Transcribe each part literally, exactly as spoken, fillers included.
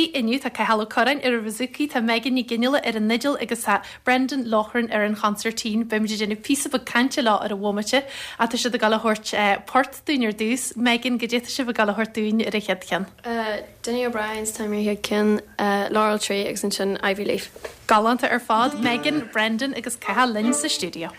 Istigh inniu tá Cathal Ó Curráin ar an bhouzouki, tá Megan Ní Ghionnaile ar an fhidil agus tá Brendan Loughran ar an chonsairtín. Beimid ag déanamh píosa beag cainte leo ar an bhomaite ach tá siad ag dul a thabhairt port dúinn ar dtús. Megan, goidé tá sibh ag dul a thabhairt dúinn ar an chéad cheann. Dinny O'Brien's Time ar chéad ceann, Laurel Tree agus ansin Ivy Leaf. Galánta ar fad, Megan, Brendan agus Cathal linn sa stiúideo.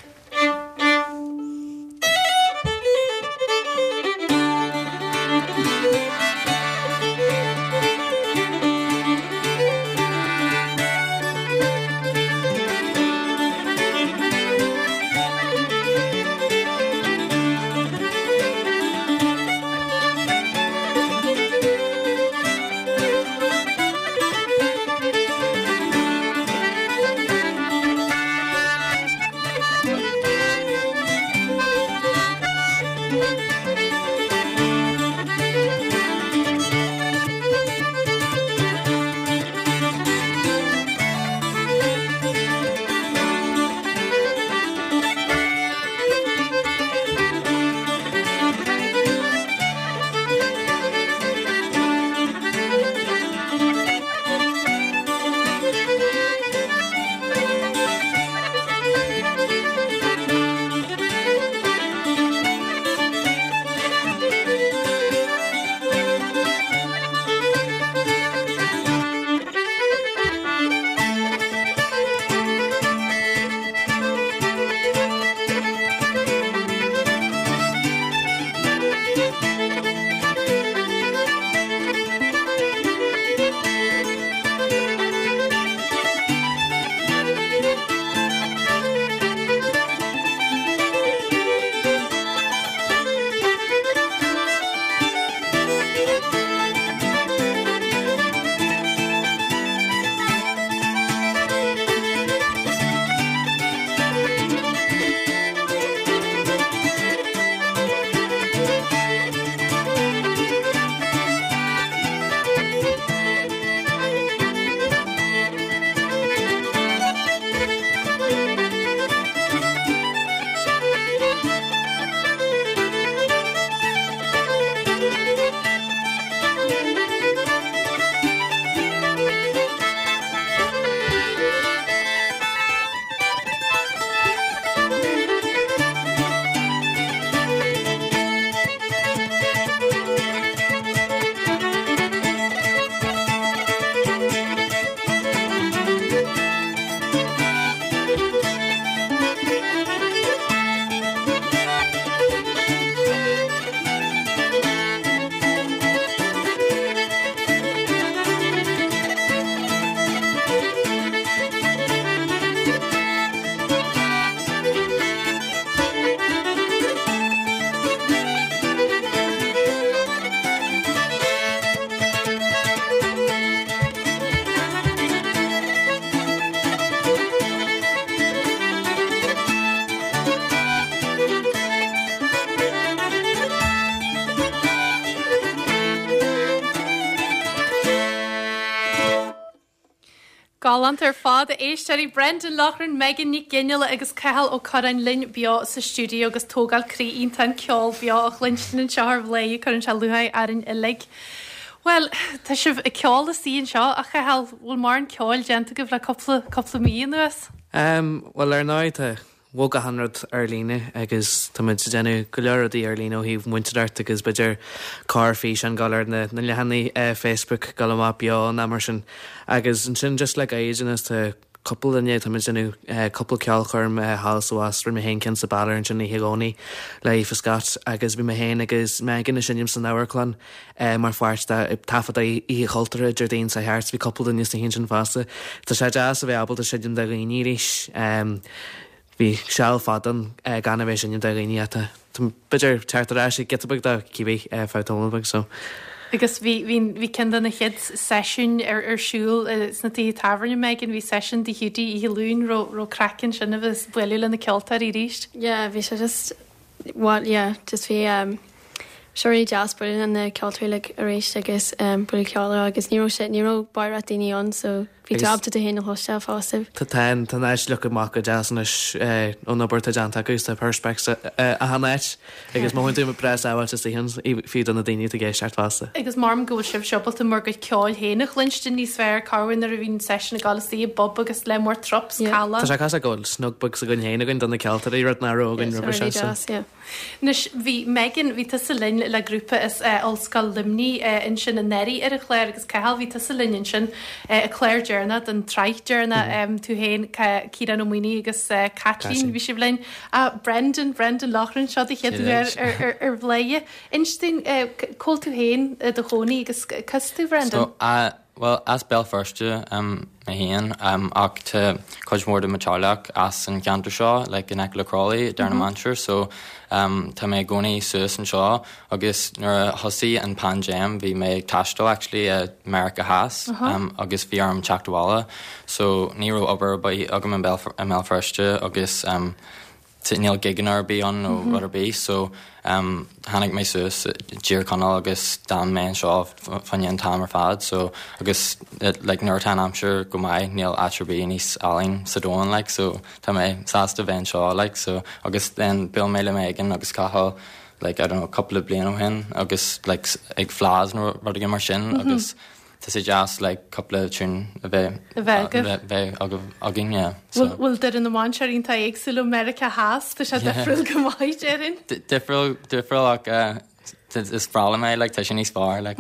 Galánta ar fad a éisteoirí Brendan Loughran, Megan Nic Ghionnaile agus Cathal Ó Curráin linn beo sa stiúideo agus tógáil croí iontach an ceol beo a chluinstin anseo ar Bhladhaire cuireann sé lúcháir orainn uilig. Well, tá sibh ag ceol istigh anseo a Chathail bhfuil mórán ceoil déanta agaibh le cúpla cúpla mí anuas? Um, well ar ndóigh tá bhog achan rud ar líne agus tá muid ag déanamh go leor rudaí ar líne ó thaobh múinteoireacht agus b'fhéidir corrfhíseán ag dul ar na na leathanaigh uh, Facebook ag dul amach beo ná mar sin agus ansin just le gairid anuas tá cúpla duine tá muid déanamh uh, cúpla ceolchoirm uh, thall is abhus rinne mé féin ceann sa Balor ansin oíche Dhomhnaigh le Aoife Scott agus bhí mé féin agus Megan ag seinm san amharclann uh, mar pháirt de taifead Oíche Chultúrtha Déardaoin seo thart bhí cúpla duine sa sin fosta. Tá sé deas a bheith ábalta seinm do dhaoine arís. Um, bhí seal fada uh, gan a bheith seinm do dhaoine atá b'fhéidir teacht ar ais giota beag de cibé feadh tamall beag so. Agus bhí bhí bhí ceann de na chéad seisiúin ar ar siúl sna tithe tábhairne Megan bhí seisiún Tigh Hiúdaí oíche Luain raibh raibh craic ansin a bheith bualadh le na ceoltóirí arís. Yeah, bhí sé just well yeah, just bhí um, sé really deas bualadh na ceoltóirí like arís agus um, bualadh ceol agus ní raibh sé ní raibh barra daoine ann so bhí tú Agus- ábalta tú féin a chloisteáil fosta. Tá tá tá áit le go maith go deas anois ón obair atá déanta acu tá perspex achan áit agus má tú breá sábháilte sa fiú do na daoine ag éisteacht fosta. Agus mar go bhfuil sibh ábalta bhur gcuid ceoil féin a chluinstin níos fearr carhain nuair a bhíonn session ag dul i bpub agus le mór trops Yeah. cala. Tá sé cosúil go bhfuil snug beag againn féin againn do na ceoltóirí rud nach raibh againn roimhe really seo. deas, yeah. Anois bhí Megan bhí tusa linn le grúpa is uh, Ollscoil Luimnigh uh, ansin anuraidh ar an chlár agus Cathal bhí tusa linn ansin uh, a chlár deireanach den tsraith deireanach mm. um, tú féin Ciarán Ó Maonaigh agus uh, Kathleen Kathleen. bhí sibh linn uh, Brendan Brendan Loughran seo do chéad uair ar, ar, ar Bhladhaire. Inis dúinn uh, cá bhfuil tú féin uh, do chónaí agus cos tú Brendan? So, uh, well, as Béal Feirste um, mé féin um, ach tá cuid mhór de mo theaghlach as an ceantar seo like in aice le Crawley Doire na Mainistir so um, tá mé i gcónaí suas anseo agus nuair a thosaigh an paindéim bhí mé ag taisteal actually i America Theas uh -huh. um, agus bhí orm teacht abhaile so ní raibh obair agam i mBéal Feirste agus um, níl gigeanna ar bith ann nó mm -hmm. rud ar bith so um, tháinig mé suas Tír Chonaill agus d'fhan mé anseo fan an t-am ar fad so agus like, nuair atá an aimsir go maith níl áit ar bith níos áille sa domhan like, so tá mé sásta bheith anseo like, so agus then bhuail mé le Megan agus Cathal like, I don't know, couple bliain ó shin agus like, ag fleadh nó rud mar sin mm -hmm. agus tá sé deas like cúpla tune a bheith A bheith agaibh. bheith againn yeah. so. Bhfuil Doire na Mainistir iontach éagsúil ó Meiriceá Theas tá sé difriúil go maith déarfainn. Difriúil difriúil ach uh, is breá liom é like, tá sé níos fearr like.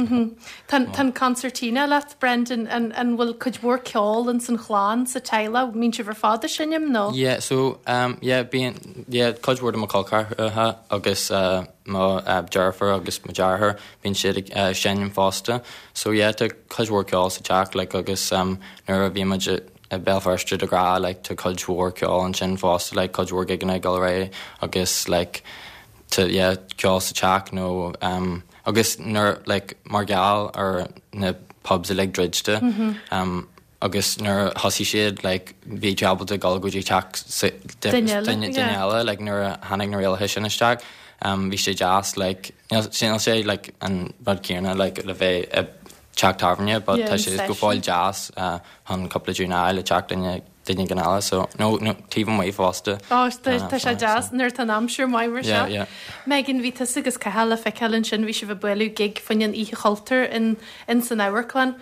Tá an concertina leat Brendan an an bhfuil cuid mhór ceol in san chlann sa teaghlach mbíonn sibh ar fad ag seinm nó? Yeah, so um, yeah, bíonn yeah, cuid mhór de mo chol ceathracha agus uh, mo uh, deirfiúr agus mo dheartháir bíonn siad ag uh, seinm fosta. So yeah, tá cuid mhór ceol sa teach like, agus um, nuair a bhí muid i Béal Feirste de ghnáth like, tá cuid mhór ceol ansin fosta like, cuid mhór gigeanna ag dul ar aghaidh agus like, to yeah, ceol sa teach nó um, agus nuair like, mar gheall ar na pubs uilig druidte mm -hmm. um, agus nuair a thosaigh siad like, bhí tú ábalta dul go dtí teach Duine eile, duine yeah. eile like, nuair a tháinig na rialacha sin isteach um, bhí sé deas like, sin sé like, an rud céanna like, le bheith i teach tábhairne, but Yeah, tá an sé go session. fóill deas uh, chun cúpla tune a le teach duine duine gan eile so no no taobh amuigh fosta. Á tá sé deas nuair atá an aimsir maith mar seo. Yeah, yeah. Megan bhí tusa agus Cathal le feiceáil ansin bhí sibh ag bualadh gig faoin an Oíche Chultúir in in san amharclann.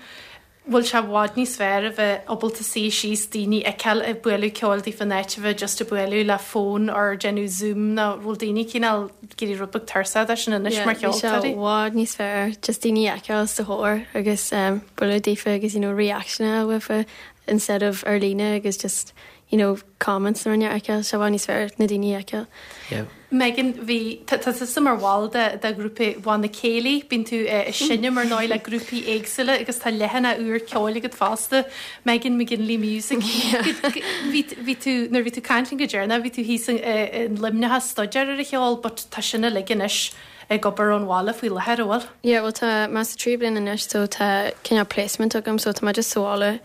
Bhfuil sé i bhfad níos fearr a bheith ábalta suí síos daoine a fheiceáil ag bualadh ceoil daofa in áit a bheith just ag bualadh le fón or déanamh Zoom nó bhfuil daoine cineál ag éirí rud beag tuirseach de sin anois mar Bhí sé cheoltóirí. i bhfad níos fearr just daoine a fheiceáil os do chomhair agus um, bualadh daofa agus you know, reaction a uafa instead of ar líne agus just you know, comments na rinne fheiceáil sé i bhfad níos fearr na daoine a fheiceáil. Yeah. Megan bhí tá tusa mar bhall de de ghrúpa Bhanna Céilí, bíonn tú ag seinm ar ndóigh le grúpaí éagsúla agus tá leathanach úr ceoil agat fosta Megan McGinley Music. Bhí bhí tú nuair bhí tú caint go deireanach, bhí tú thíos in Luimneach ag staidéar ar an cheol, but tá sin uilig anois ag obair ón bhaile faoi láthair bhfuil. Yeah, well tá mé sa tríú bliain anois so tá cineál placement agam so tá mé just sa bhaile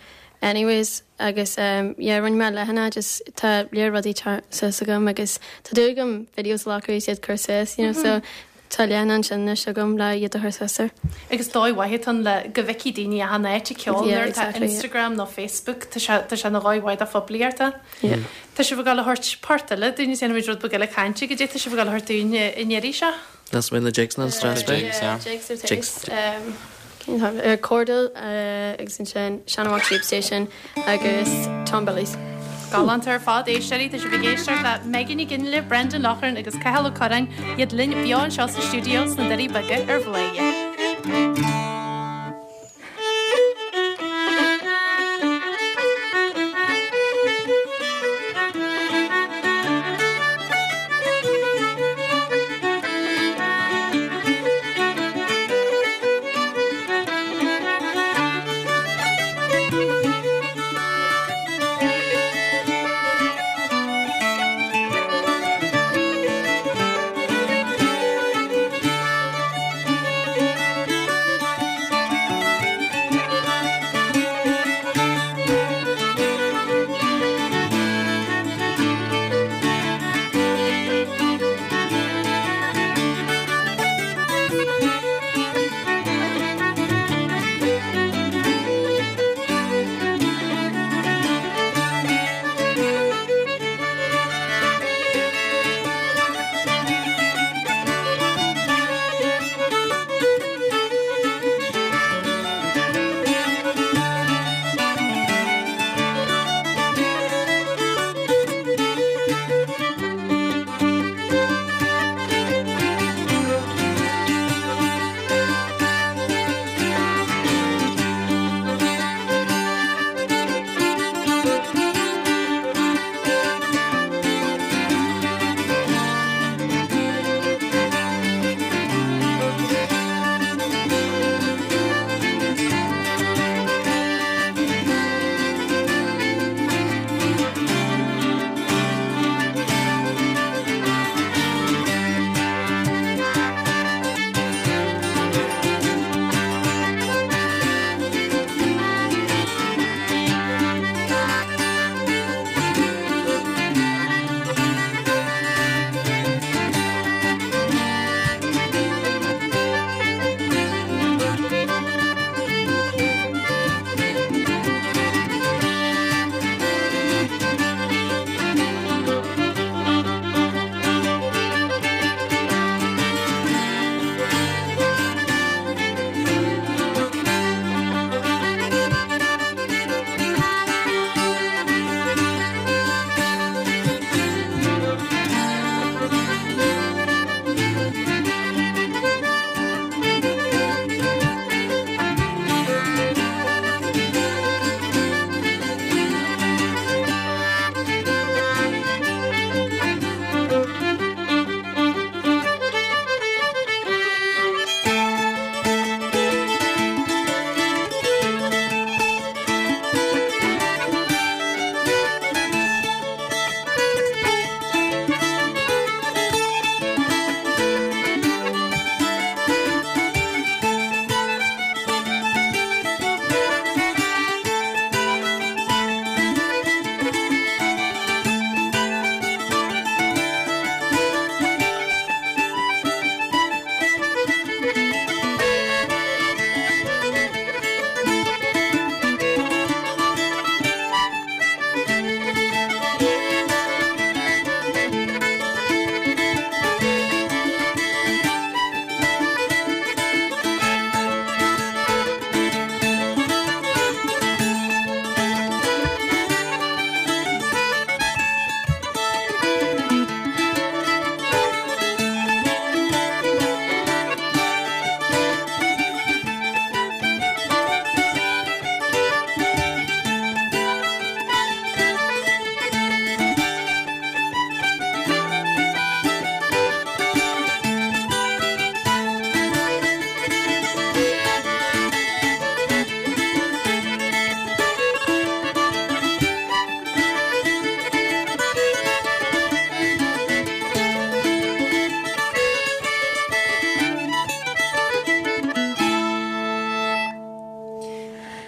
anyways agus um, yeah, rinne mé leathanach just tá léir rudaí suas agam agus tá dúil agam videos a ghlacadh iad chur suas, you know, mm -hmm. so tá leathanach ansin anois agam le iad a chur suas air. Agus dóigh mhaith an le go bhfeicfidh daoine achan áit ag ceol Yeah, nuair tá exactly, yeah. Instagram nó Facebook tá sé tá sé ina dhóigh mhaith do phoiblíocht. Yeah. Tá sibh ag dul a thabhairt port eile dúinn déanfaimid rud beag eile cainte go dtí tá sibh ag dul a thabhairt dúinn an iarraidh seo. That's when the jigs na stress Jigs, yeah. Jigs ar Jigs. Jigs. Um, cén t-ainm? Uh, Cordal uh, agus ansin Shanawalk Tube Station agus Tom Billy's. Galánta ar fad éisteoirí tá sibh ag éisteacht le Megan Ní Ghionnaile, Brendan Loughran agus Cathal Ó Curráin iad linn beo anseo sa stiúideo sna Doirí Beaga ar Bhladhaire. Thank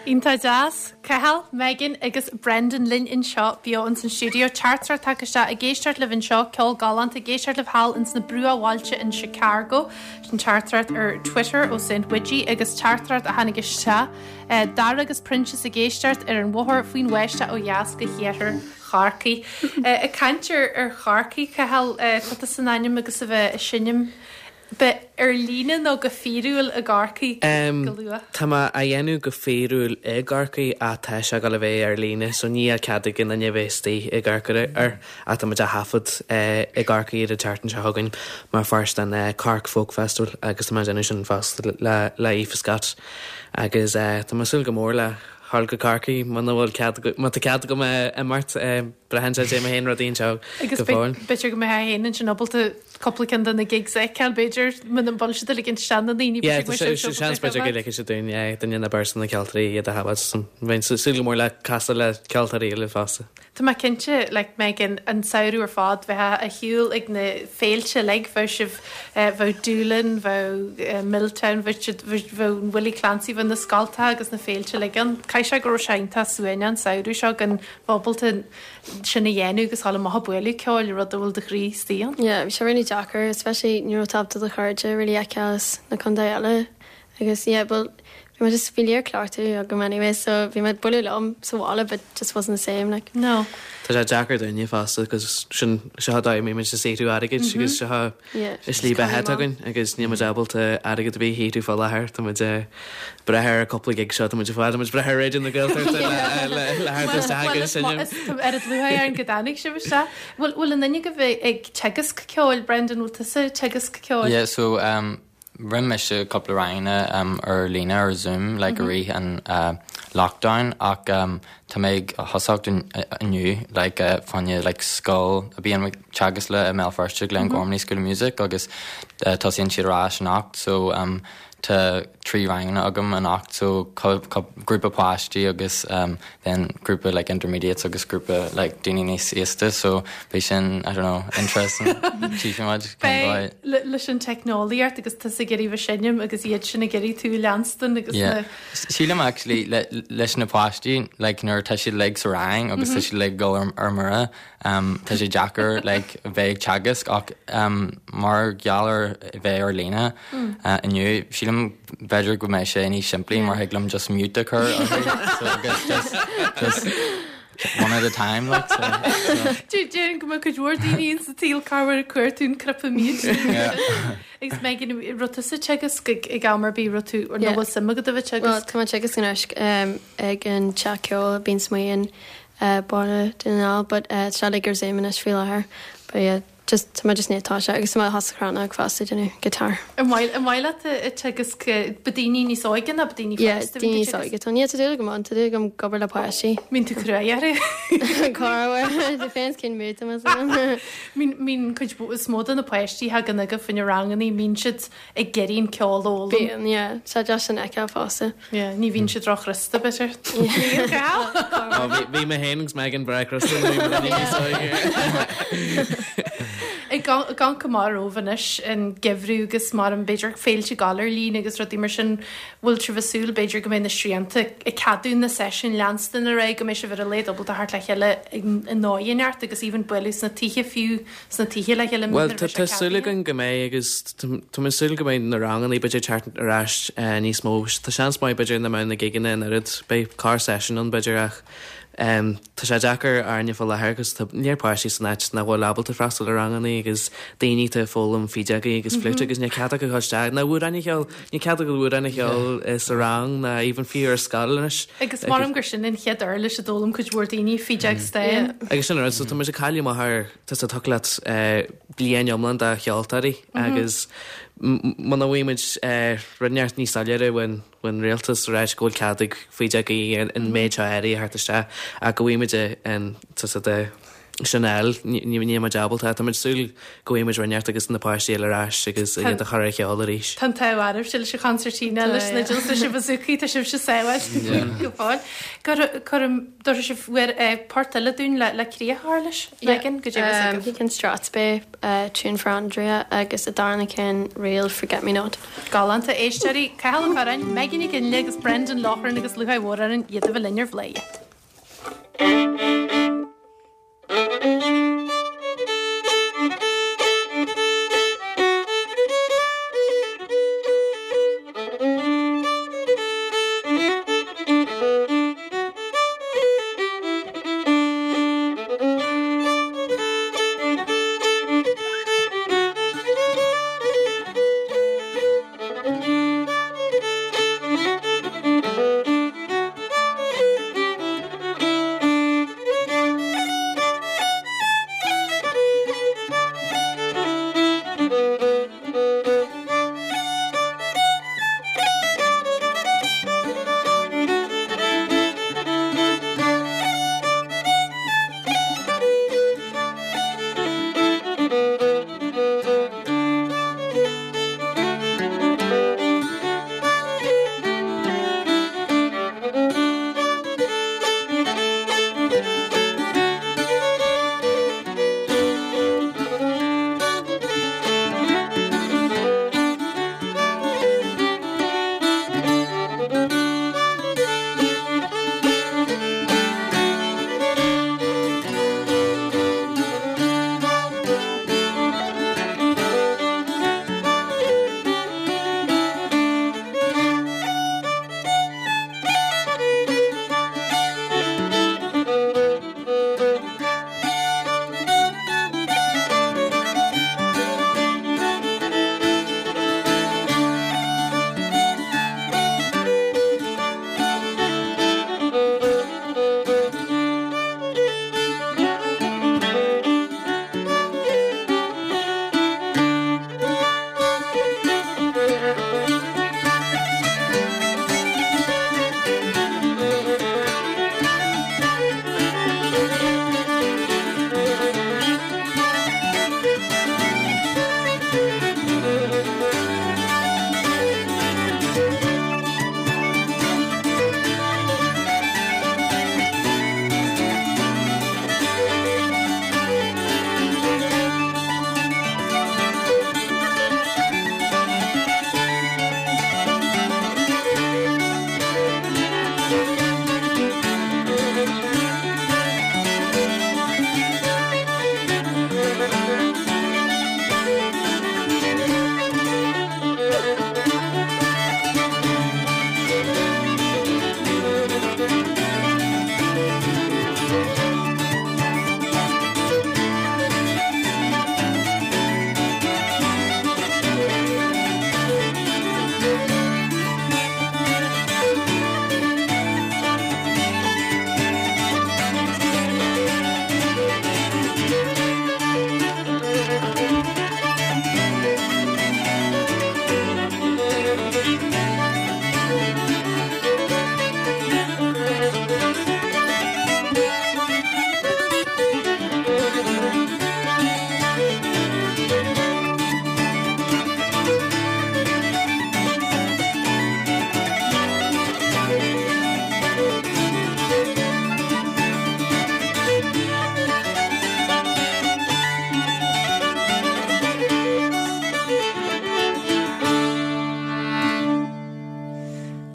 Iontach deas, Cathal, Megan agus Brendan linn anseo beo ins an stiúideo. Teachtaireacht tagtha isteach ag éisteacht libh anseo, ceol galánta, ag éisteacht libh thall ins na bruachbhailte in Chicago. Sin teachtaireacht ar Twitter ó Saint Widgie agus teachtaireacht a tháinig isteach. Eh, Dara agus Proinsias ag éisteacht ar an bhóthar faoin bháisteach ó dheas go hiarthar Chorcaí. Eh, ag caint ar ar Chorcaigh, Cathal, eh, tá tú san ainm agus a bheith ag seinm Be ar líne nó go fíorúil i gCorcaigh go luath? Tá mé á dhéanamh go fíorúil i gCorcaigh ach tá sé ag dul a bheith ar líne so níl cead ag aon duine a bheith istigh i gCorcaigh air ach tá muid á thaifead i gCorcaigh ar an tseachtain seo chugainn mar pháirt den Cork Folk Festival agus tá mé ag déanamh sin fosta le le Aoife Scott agus tá mé ag súil go mór le dhul go Corcaigh muna bhfuil cead má tá cead agam imeacht braitheann sé mé féin rudaí anseo Agus go fóill. b'fhéidir go mbeidh féin ansin ábalta cúpla ceann de na gigs a fheiceáil b'fhéidir muna bhfuil siad uilig isteach na ndaoine Yeah, tá sé seans b'fhéidir go ligfidh siad dúinn yeah, duine nó beirt de na ceoltóirí iad a thaifead. Bheinn súil go mór le casadh le ceoltóirí eile fosta. Tá mé cinnte like Megan an samhradh ar fad bheith ar shiúl ag na féilte uilig bheadh sibh bheadh Doolin, bheadh Milltown, bheadh siad bheadh an Willie Clancy, bheadh na scoltacha agus na féilte uilig ann. Caithfidh sé go raibh sé iontach suaimhneach an samhradh seo gan bheith ábalta sin a dhéanamh agus dul amach ag bualadh ceoil rud a bhfuil do chroí istigh ann. Yeah, bhí sé really deacair, especially ní raibh tú ábalta do chairde really fheiceáil as na contae eile agus yeah, well bhí mé just bhí léir cleachtadh agam anyway, so bhí mé ag bualadh liom sa bhaile but just wasn't the same like. No. Tá sé deacair dúinne fosta cos sin seo dá mí muid saothrú airgid agus seo Yeah, is slí beatha againn agus níl muid ábalta airgead a bheith a shaothrú fá láthair tá muid breith ar cúpla gig seo tá muid fád muid breith ar Raidió na Gaeltachta le le theacht isteach agus sin. Ar luath ar an go dtáinig sibh isteach. Bhfuil bhfuil aon duine agaibh ag teagasc ceoil Brendan bhfuil tusa ag teagasc ceoil? Yeah, so um, rinne mise cúpla ranganna um, ar líne ar Zoom like, mm -hmm. rith an uh, lockdown ach um, tá mé ag tosacht inniu like, uh, fá choinne like, scoil a bhíonn teagasc le i mBéal Feirste Glen mm -hmm. Gormley School of Music agus uh, tosaíonn siad ar ais anocht so um, tá trí ranganna agam anocht so grúpa páistí agus um, then grúpa like intermediates agus grúpa like daoine níos aosta so beidh sin I don't know interesting Beidh leis an teicneolaíocht agus tusa ag iarraidh bheith seinm agus iad sin ag iarraidh tú leanstan agus yeah. Sílim actually le, leis na páistí like nuair tá siad like sa rang agus tá siad like gol ar, ar mire um, tá sé deacair like bheith ag teagasc ach um, mar gheall ar bheith ar líne mm. uh, inniu sílim b'fhéidir go mbeidh sé níos simplí mar thig liom just mute a chur so agus just, just one at a time like so, so. Déarfainn go mbeadh cuid mhór daoine sa tsaol cabhair cuairtún crypa mute. Agus Megan raibh tusa ag teagasc ag am ar bith raibh tú ar nó bhfuil suim agat a bheith Well, teagasc? tá mé teagasc anois um, ag an teach ceoil Bíonn Smaoin uh, Baile Dhún na nGall, but uh, tá like ar Zoom anois faoi láthair. But yeah, just tá mé just ní tá sé agus tá mé has fásta déanamh guitar. An mhaith an mhaith leat ag teagasc ba daoine níos óige ná ba daoine Yeah, fásta daoine níos óige. Tá ní tá go an tá gom gobar le páistí. Mbíonn tú crua orthu. Corruair depends cén mood am. Mbíonn mbíonn cuid is mó de na páistí thagann agaibh faoina ranganna mbíonn siad ag iarraidh an ceol a fhoghlaim. Bíonn, yeah, sé just an fheiceáil fosta. Yeah, ní bhíonn siad róchrosta b'fhéidir. Ó, Bhí bhí mé féin agus Megan breá crosta níos óige. Ag gan go mar romhainn anois an geimhreadh agus mar an b'fhéidir féilte gal ar líne agus rudaí mar sin bhfuil sibh ag súil b'fhéidir go mbeidh na srianta ag ceadú na seisiún leanstan ar aghaidh go mbeidh sibh ar a laghad ábalta theacht le chéile i ndóigh neart agus even bualadh sna tithe fiú sna tithe le chéile Well tá tá súil againn go mbeidh agus tá mé súil go mbeidh na ranganna b'fhéidir teacht ar ais eh, níos mó. Tá seans maith b'fhéidir nach mbeidh na gigeanna in oiread beidh corr session ann b'fhéidir ach um, tá sé deacair orainne fá láthair agus tá léir páistí san áit nach bhfuil ábalta freastal ar ranganna agus daoine atá ag foghlaim fídeogaí agus flute agus níl cead acu isteach na amhráin a cheol níl cead acu amhráin a cheol eh, sa rang ná even fiú ar scoil anois. Agus mar gur sin an chéad uirlis a d'fhoghlaim cuid mhór daoine fídeog stáin. Agus sin rud, so tá muid ag cailleadh amach ar tá sa tuclat bliain iomlán de cheoltóirí agus muna bhfaighimid rud neart níos soiléire ón ón rialtas ar ais go bhfuil cead ag fídeogaí an méid seo earraí a theacht isteach ach go bhfaighimid an tá de sin a fháil, níl muid ábalta, tá muid súil go bhfaighidh muid rud inteacht agus na páistí eile ar ais agus iad a chur ar cheol arís. Tá an t-ádh oraibhse leis an chonsairtín leis na leis na bazookaí tá sibhse sábháilte go fóill. Cuirim dúirt sibh bhfuair port eile dúinn le le críoch a chur leis Megan go dtí Um, Ceann Strathspey uh, Tune for Andrea agus an darna ceann Reel Forget Me Not. Galánta éisteoirí Cathal Ó Curráin, Megan Nic Fhionnghaile agus Brendan Loughran agus lúcháir mhór orainn iad a bheith linn ar Bhladhaire.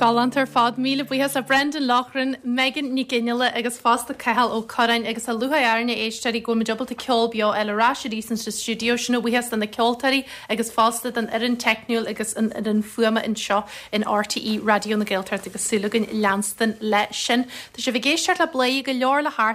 Galánta ar fad míle buíochas a Brendan Loughran, Megan Nic Fhionnghaile agus fosta Cathal Ó Curráin agus tá lúcháir orainn a éisteoirí go mbeidh ábalta ceol beo eile ar ais arís sa stiúideo sin a bhuíochas do na ceoltóirí agus fosta don fhoireann teicniúil agus an fhoireann fuaime anseo in RTÉ Raidió na Gaeltachta agus súil againn leanstan le sin. Tá sibh ag éisteacht le Bladhaire go leor le thart